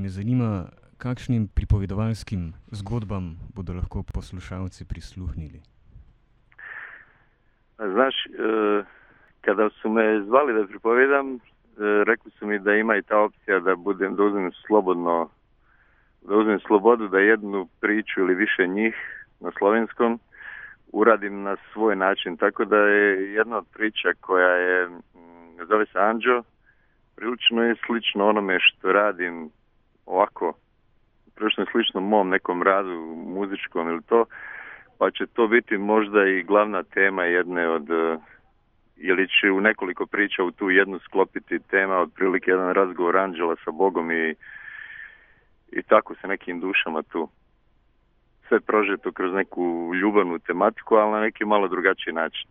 me zanima, kakšnim pripovedovalskim zgodbam bodo lahko poslušalci prisluhnili. Znaš, kada su me zvali da pripovedam, rekli su mi da ima i ta opcija da uzmem slobodu da jednu priču ili više njih na slovenskom uradim na svoj način. Tako da je jedna od priča koja je, zove se Anđo, prilično je slično onome što radim ovako, prilično je slično mom nekom radu muzičkom ili to, pa će to biti možda i glavna tema jedne od, ili će u nekoliko priča u tu jednu sklopiti tema, otprilike jedan razgovor anđela sa Bogom i tako sa nekim dušama tu. Sve prožeto kroz neku ljubavnu tematiku, ali na neki malo drugačiji način.